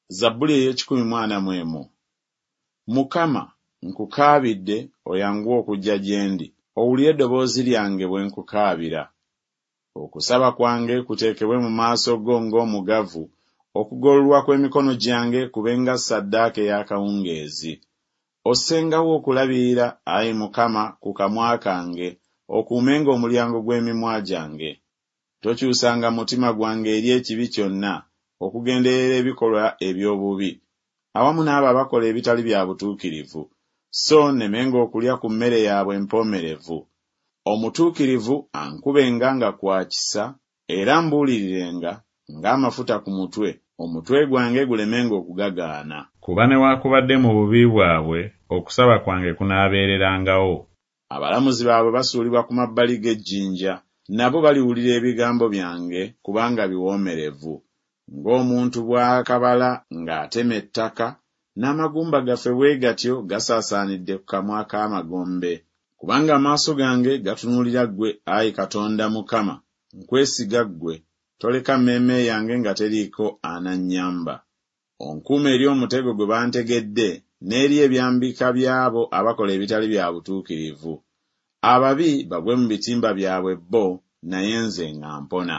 Zabbuli ey'ekikumi mu ana mu emu. Mukama, nkukaabidde, oyanguwe okujja gye ndi, owulire eddoboozi lyange bwe nkukaabira. Okusaba kwange kuteekebwe mu maaso go ng'omugavu, okugololwa kw'emikono gyange kube nga ssaddaaka ey'akawungeezi. Ossengawo okulabirira, ayi Mukama, ku kamwa kange, okuumenga omulyango gw'emimwa gyange. Tokyusanga mutima gwange eri ekibi kyonna, okugenderera ebikolwa eby'obubi, awamu n'abo abakola ebitali bya butuukirivu, so nnemenga okulya ku mmere yaabwe empoomerevu. Omutuukirivu ankubenga nga kwa kisa, era ambuulirirenga, ng'amafuta ku mutwe, omutwe gwange gulemenga okugagaana. Kuba newakubadde mu bubi bwabwe okusaba kwange kunaabeererangawo. Abalamuzi baabwe basuulibwa ku mabbali g'ejjinja, nabo baliwulira ebigambo byange, kubanga biwoomerevu. Ng'omuntu bw'akabala ng'atema ettaka, n'amagumba gaffe bwe gatyo gasaasaanidde ku kamwa k'amagombe. Kubanga amaaso gange gatunuulira ggwe, ayi Katonda Mukama, nkwesiga ggwe, toleka mmeeme yange nga teriiko anannyamba. Onkuume eri omutego gwe bantegedde, n'eri ebyambika by'abo abakola ebitali bya butuukirivu. Ababi bagwe mu bitimba byabwe bo, naye nze nga mpona.